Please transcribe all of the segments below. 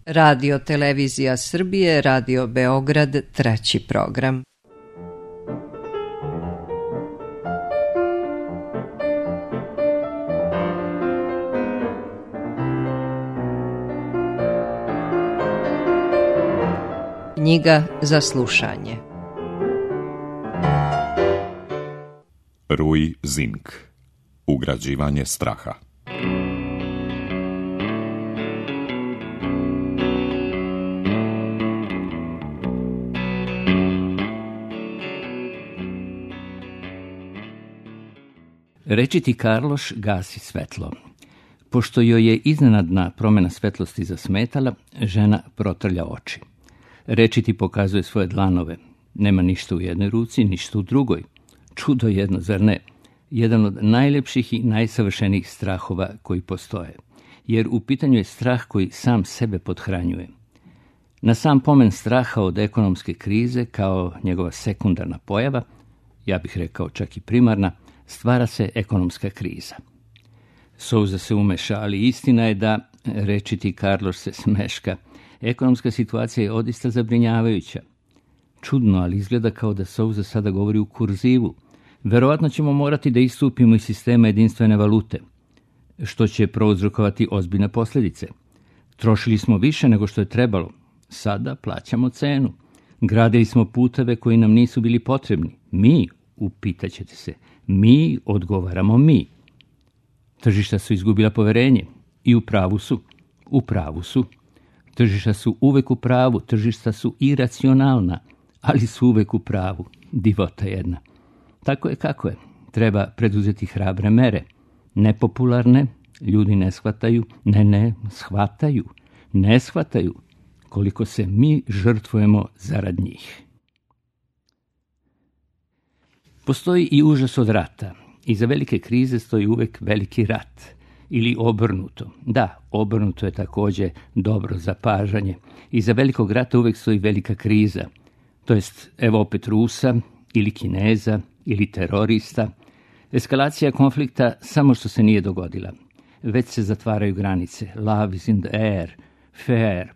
Radio Televizija Srbije, Radio Beograd, 3. program. Knjiga za slušanje. Rui Zink. Ugrađivanje straha. Rečiti Karloš gasi svetlo. Pošto joj je iznenadna promjena svetlosti zasmetala, žena protrlja oči. Rečiti pokazuje svoje dlanove. Nema ništa u jednoj ruci, ništa u drugoj. Čudo jedno, zar ne? Jedan od najljepših i najsavršenijih strahova koji postoje. Jer u pitanju je strah koji sam sebe pothranjuje. Na sam pomen straha od ekonomske krize, kao njegova sekundarna pojava, ja bih rekao čak i primarna, stvara se ekonomska kriza. Souza se umeša, ali istina je da, rečiti Karloš se smeška, ekonomska situacija je odista zabrinjavajuća. Čudno, ali izgleda kao da Souza sada govori u kurzivu. Verovatno ćemo morati da istupimo iz sistema jedinstvene valute, što će prouzrokovati ozbiljne posljedice. Trošili smo više nego što je trebalo. Sada plaćamo cenu. Gradili smo puteve koji nam nisu bili potrebni. Mi, upitaćete se, mi odgovaramo mi. Tržišta su izgubila poverenje i u pravu su. Tržišta su uvek u pravu, tržišta su iracionalna, ali su uvek u pravu. Divota jedna. Tako je kako je. Treba preduzeti hrabre mere. Nepopularne, ljudi ne shvataju, ne shvataju koliko se mi žrtvujemo zarad njih. Postoji i užas od rata. Iza velike krize stoji uvek veliki rat. Ili obrnuto. Da, obrnuto je također dobro zapažanje. Iza velikog rata uvek stoji velika kriza. To jest, evo opet Rusa, ili Kineza, ili terorista. Eskalacija konflikta samo što se nije dogodila. Već se zatvaraju granice. Love is in the air. Fair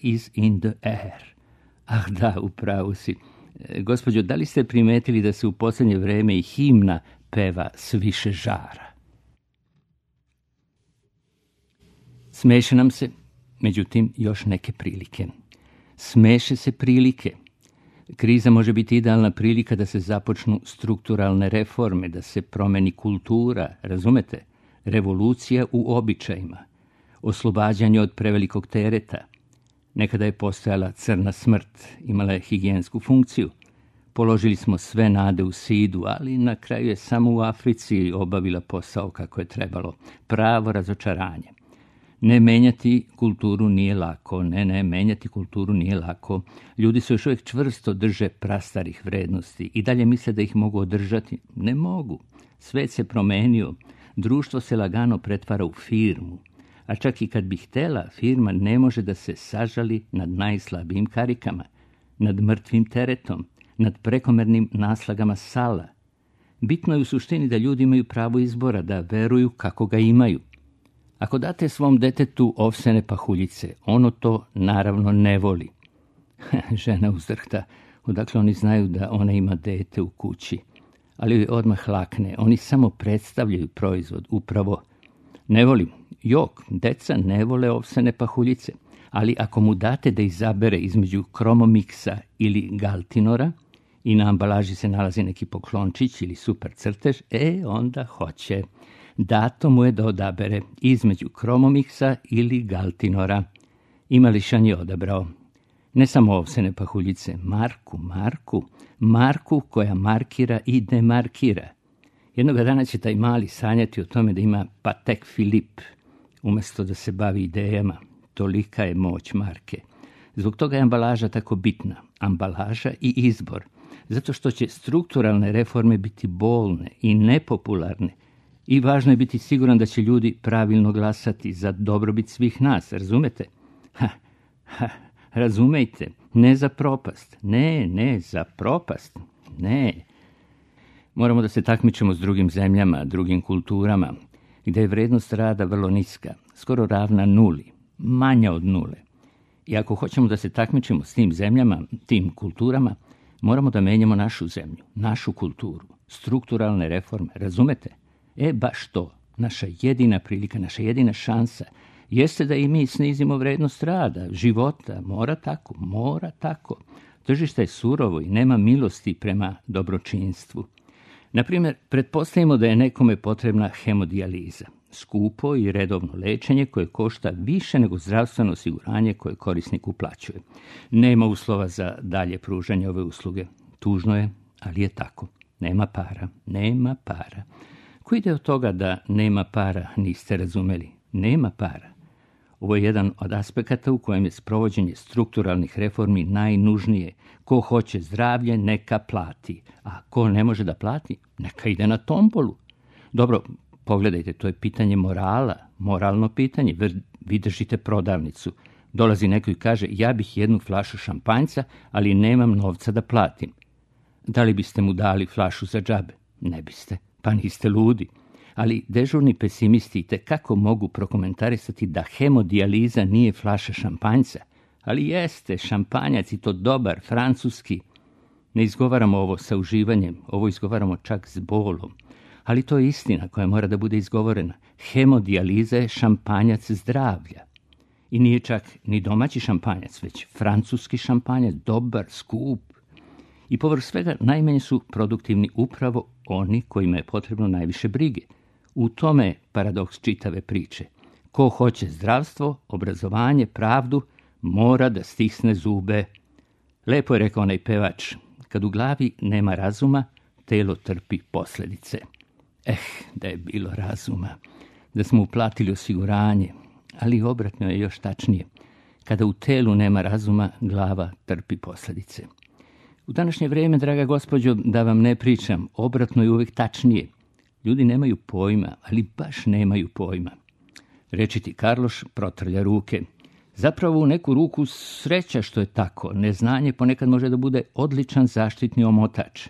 is in the air. Ah da, upravo si. Gospođo, da li ste primetili da se u posljednje vrijeme i himna peva s više žara? Smeše nam se, međutim, još neke prilike. Smeše se prilike. Kriza može biti idealna prilika da se započnu strukturalne reforme, da se promeni kultura, razumete? Revolucija u običajima. Oslobađanje od prevelikog tereta. Nekada je postojala crna smrt, imala je higijensku funkciju. Položili smo sve nade u SIDA-u, ali na kraju je samo u Africi obavila posao kako je trebalo. Pravo razočaranje. Ne menjati kulturu nije lako, menjati kulturu nije lako. Ljudi se još uvijek čvrsto drže prastarih vrednosti i dalje misle da ih mogu održati. Ne mogu. Svet se promenio, društvo se lagano pretvara u firmu. A čak i kad bi htjela, firma ne može da se sažali nad najslabijim karikama, nad mrtvim teretom, nad prekomernim naslagama sala. Bitno je u suštini da ljudi imaju pravo izbora, da veruju kako ga imaju. Ako date svom detetu ovsene pahuljice, ono to naravno ne voli. Žena uzdrhta, odakle oni znaju da ona ima dete u kući. Ali joj odmah lakne, oni samo predstavljaju proizvod, upravo. Ne volim. Jok, deca ne vole ovsene pahuljice, ali ako mu date da izabere između Kromomiksa ili Galtinora i na ambalaži se nalazi neki poklončić ili super crtež, onda hoće. Dato mu je da odabere između Kromomiksa ili Galtinora. I mališan je odabrao. Ne samo ovsene pahuljice, Marku koja markira i demarkira. Jednoga dana će taj mali sanjati o tome da ima Patek Filip, umjesto da se bavi idejama. Tolika je moć marke. Zbog toga je ambalaža tako bitna. Ambalaža i izbor. Zato što će strukturalne reforme biti bolne i nepopularne. I važno je biti siguran da će ljudi pravilno glasati za dobrobit svih nas, razumete? Razumejte, ne za propast. Ne, za propast. Ne. Moramo da se takmičimo s drugim zemljama, drugim kulturama, gdje je vrednost rada vrlo niska, skoro ravna nuli. manja od nule. I ako hoćemo da se takmičimo s tim zemljama, tim kulturama, moramo da menjamo našu zemlju, našu kulturu, strukturalne reforme, razumete? Baš to, naša jedina prilika, naša jedina šansa jeste da i mi snizimo vrednost rada, života, mora tako. Tržište je surovo i nema milosti prema dobročinstvu. Naprimjer, pretpostavimo da je nekome potrebna hemodijaliza, skupo i redovno lečenje koje košta više nego zdravstveno osiguranje koje korisnik uplaćuje. Nema uslova za dalje pružanje ove usluge. Tužno je, ali je tako. Nema para. Ko ide od toga da nema para, niste razumeli? Nema para. Ovo je jedan od aspekata u kojem je sprovođenje strukturalnih reformi najnužnije. Ko hoće zdravlje, neka plati. A ko ne može da plati, neka ide na tombolu. Dobro, pogledajte, to je pitanje morala, moralno pitanje. Vi držite prodavnicu. Dolazi neko i kaže, ja bih jednu flašu šampanjca, ali nemam novca da platim. Da li biste mu dali flašu za džabe? Ne biste, pa niste ludi. Ali dežurni pesimisti kako mogu prokomentarisati da hemodijaliza nije flaša šampanjca, ali jeste šampanjac i to dobar, francuski. Ne izgovaramo ovo sa uživanjem, ovo izgovaramo čak s bolom, ali to je istina koja mora da bude izgovorena. Hemodijaliza je šampanjac zdravlja. I nije čak ni domaći šampanjac, već francuski šampanjac, dobar, skup. I povrh svega najmanje su produktivni upravo oni kojima je potrebno najviše brige. U tome je paradoks čitave priče. Ko hoće zdravstvo, obrazovanje, pravdu, mora da stisne zube. Lepo je rekao onaj pevač, kad u glavi nema razuma, telo trpi posljedice. Da je bilo razuma, da smo uplatili osiguranje, ali obratno je još tačnije. Kada u telu nema razuma, glava trpi posljedice. U današnje vrijeme, draga gospođo, da vam ne pričam, obratno je uvijek tačnije. Ljudi nemaju pojma, ali baš nemaju pojma. Rečiti Karloš protrlja ruke. Zapravo u neku ruku sreća što je tako. Neznanje ponekad može da bude odličan zaštitni omotač.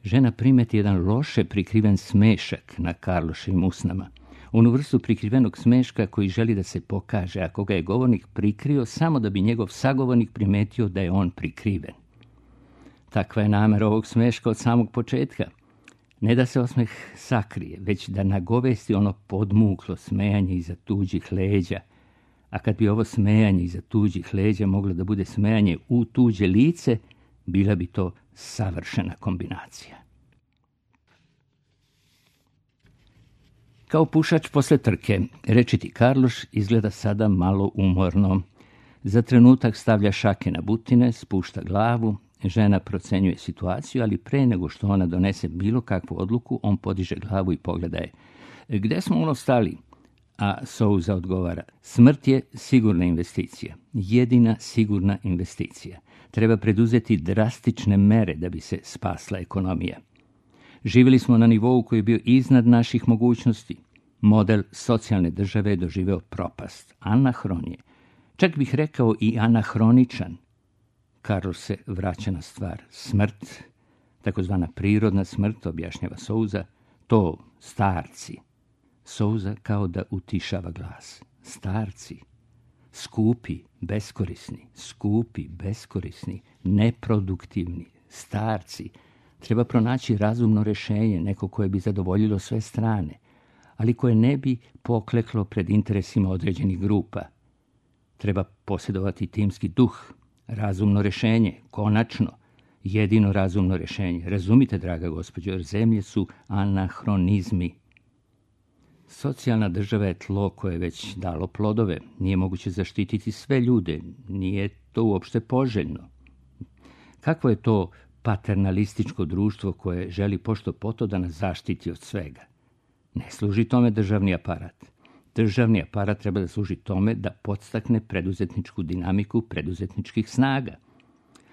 Žena primeti jedan loše prikriven smešak na Karloševim usnama. Onu vrstu prikrivenog smeška koji želi da se pokaže, ako ga je govornik prikrio samo da bi njegov sagovornik primetio da je on prikriven. Takva je namera ovog smeška od samog početka. Ne da se osmeh sakrije, već da nagovesti ono podmuklo smejanje iza tuđih leđa. A kad bi ovo smejanje iza tuđih leđa moglo da bude smejanje u tuđe lice, bila bi to savršena kombinacija. Kao pušač posle trke, rečiti Karloš izgleda sada malo umorno. Za trenutak stavlja šake na butine, spušta glavu. Žena procenjuje situaciju, ali pre nego što ona donese bilo kakvu odluku, on podiže glavu i pogleda je. Gde smo ono stali? A Souza odgovara, smrt je sigurna investicija, jedina sigurna investicija. Treba preduzeti drastične mere da bi se spasla ekonomija. Živjeli smo na nivou koji je bio iznad naših mogućnosti. Model socijalne države je doživeo propast. Anahron je. Čak bih rekao i anahroničan. Karloš se vraća na stvar. Smrt, takozvana prirodna smrt, objašnjava Souza, to starci. Souza kao da utišava glas. Starci. Skupi, beskorisni, neproduktivni, starci. Treba pronaći razumno rješenje, neko koje bi zadovoljilo sve strane, ali koje ne bi pokleklo pred interesima određenih grupa. Treba posjedovati timski duh, razumno rješenje, konačno, jedino razumno rješenje. Razumite, draga gospođo, jer zemlje su anahronizmi. Socijalna država je tlo koje je već dalo plodove. Nije moguće zaštititi sve ljude. Nije to uopšte poželjno. Kakvo je to paternalističko društvo koje želi pošto poto da nas zaštiti od svega? Ne služi tome državni aparat. Državni aparat treba da služi tome da podstakne preduzetničku dinamiku preduzetničkih snaga.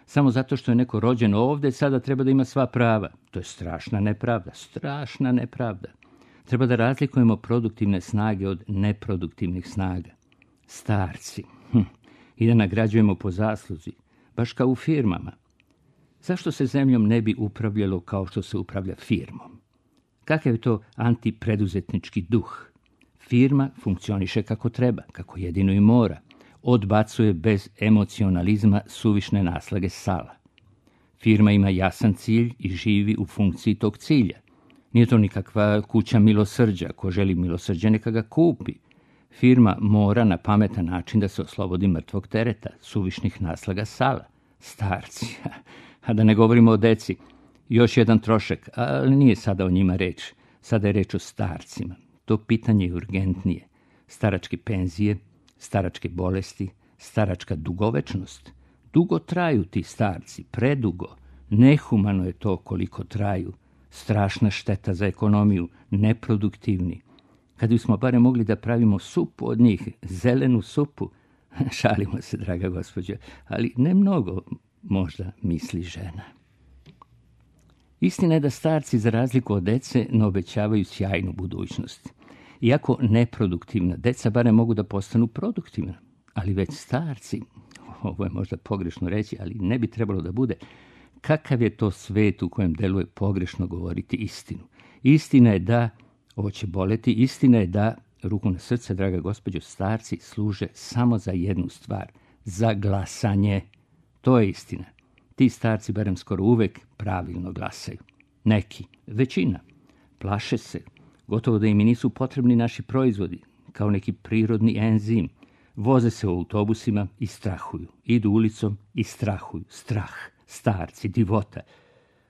Samo zato što je neko rođen ovde, sada treba da ima sva prava. To je strašna nepravda. Treba da razlikujemo produktivne snage od neproduktivnih snaga. Starci. I da nagrađujemo po zasluzi, baš kao u firmama. Zašto se zemljom ne bi upravljalo kao što se upravlja firmom? Kakav je to antipreduzetnički duh? Firma funkcioniše kako treba, kako jedino i mora. Odbacuje bez emocionalizma suvišne naslage sala. Firma ima jasan cilj i živi u funkciji tog cilja. Nije to nikakva kuća milosrđa. Ko želi milosrđe, neka ga kupi. Firma mora na pametan način da se oslobodi mrtvog tereta, suvišnih naslaga sala. Starci, a da ne govorimo o deci. Još jedan trošak, ali nije sada o njima reč. Sada je reč o starcima. To pitanje je urgentnije. Staračke penzije, staračke bolesti, staračka dugovečnost. Dugo traju ti starci, predugo. Nehumano je to koliko traju. Strašna šteta za ekonomiju, neproduktivni. Kad bismo barem mogli da pravimo supu od njih, zelenu supu, šalimo se, draga gospođo, ali ne mnogo, možda misli žena. Istina je da starci, za razliku od dece, ne obećavaju sjajnu budućnost. Iako neproduktivna, deca barem mogu da postanu produktivna, ali već starci, ovo je možda pogrešno reći, ali ne bi trebalo da bude, kakav je to svet u kojem deluje pogrešno govoriti istinu. Istina je da, ovo će boleti, istina je da, ruku na srce, draga gospođo, starci služe samo za jednu stvar, za glasanje. To je istina. Ti starci barem skoro uvek pravilno glasaju. Neki, većina, plaše se, gotovo da im i nisu potrebni naši proizvodi, kao neki prirodni enzim. Voze se u autobusima i strahuju. Idu ulicom i strahuju. Strah, starci, divota.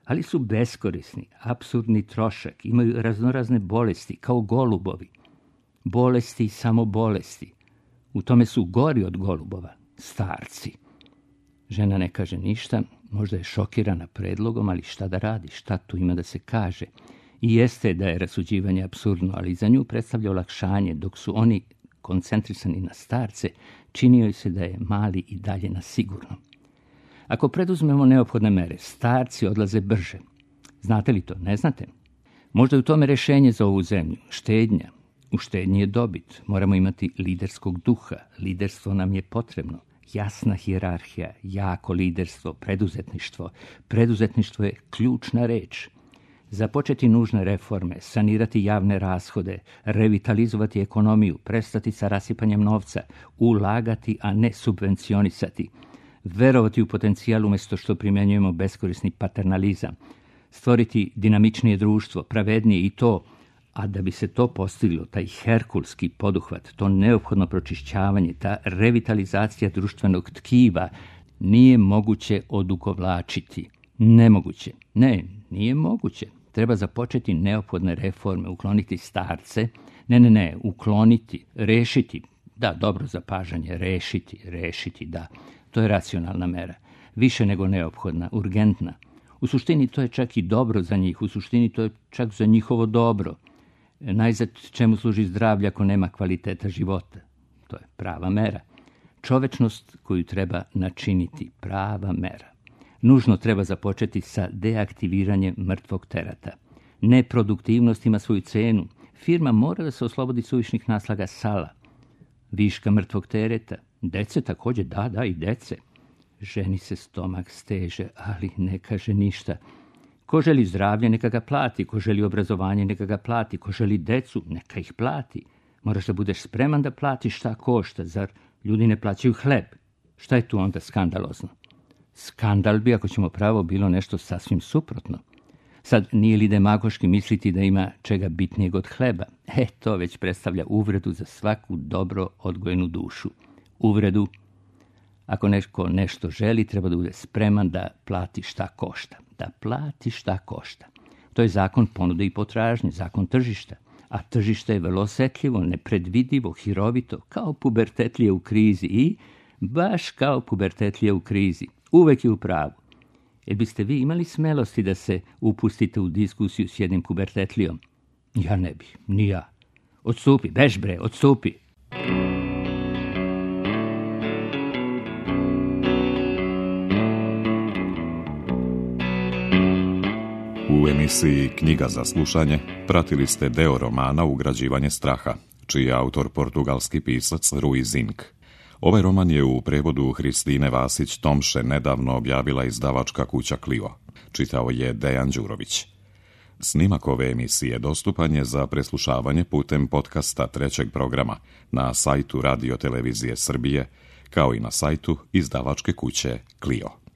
Ali su beskorisni, apsurdni trošak, imaju raznorazne bolesti, kao golubovi. Bolesti i samo bolesti. U tome su gori od golubova, starci. Žena ne kaže ništa, možda je šokirana predlogom, ali šta da radi, šta tu ima da se kaže. I jeste da je rasuđivanje apsurdno, ali za nju predstavlja olakšanje, dok su oni koncentrisani na starce, činio je se da je mali i dalje na sigurno. Ako preduzmemo neophodne mere, starci odlaze brže. Znate li to? Ne znate? Možda je u tome rešenje za ovu zemlju, štednja. U štednji je dobit. Moramo imati liderskog duha. Liderstvo nam je potrebno. Jasna hijerarhija, jako liderstvo, preduzetništvo. Preduzetništvo je ključna reč. Započeti nužne reforme, sanirati javne rashode, revitalizovati ekonomiju, prestati sa rasipanjem novca, ulagati, a ne subvencionisati, verovati u potencijal umjesto što primjenjujemo beskorisni paternalizam, stvoriti dinamičnije društvo, pravednije i to, a da bi se to postiglo, taj herkulski poduhvat, to neophodno pročišćavanje, ta revitalizacija društvenog tkiva, nije moguće odugovlačiti. Nemoguće. Ne, nije moguće. Treba započeti neophodne reforme, ukloniti starce. Ne, ukloniti, rešiti. Da, dobro zapažanje, rešiti, da. To je racionalna mera. Više nego neophodna, urgentna. U suštini to je čak i dobro za njih, u suštini to je čak za njihovo dobro. Najzad čemu služi zdravlje ako nema kvaliteta života? To je prava mera. Čovečnost koju treba načiniti, prava mera. Nužno treba započeti sa deaktiviranjem mrtvog tereta. Neproduktivnost ima svoju cenu. Firma mora da se oslobodi suvišnih naslaga sala. Viška mrtvog tereta. Dece također, da, i dece. Ženi se stomak steže, ali ne kaže ništa. Ko želi zdravlje, neka ga plati. Ko želi obrazovanje, neka ga plati. Ko želi decu, neka ih plati. Moraš da budeš spreman da platiš šta košta. Zar ljudi ne plaćaju hleb? Šta je tu onda skandalozno? Skandal bi, ako ćemo pravo, bilo nešto sasvim suprotno. Sad, nije li demagoški misliti da ima čega bitnijeg od hleba? To već predstavlja uvredu za svaku dobro odgojenu dušu. Uvredu, ako neko nešto želi, treba da bude spreman da plati šta košta. Da plati šta košta. To je zakon ponude i potražnje, zakon tržišta. A tržište je vrlo osetljivo, nepredvidivo, hirovito, kao pubertetlije u krizi i baš kao pubertetlije u krizi. Uvek je u pravu. Jer biste vi imali smelosti da se upustite u diskusiju s jednim pubertetlijom? Ja ne bih, ni ja. Odstupi, bež bre, odstupi. U emisiji Knjiga za slušanje pratili ste deo romana Ugrađivanje straha, čiji je autor portugalski pisac Rui Zinck. Ovaj roman je u prevodu Hristine Vasić-Tomše nedavno objavila izdavačka kuća Clio. Čitao je Dejan Đurović. Snimak ove emisije dostupan je za preslušavanje putem podcasta trećeg programa na sajtu Radio Televizije Srbije, kao i na sajtu izdavačke kuće Clio.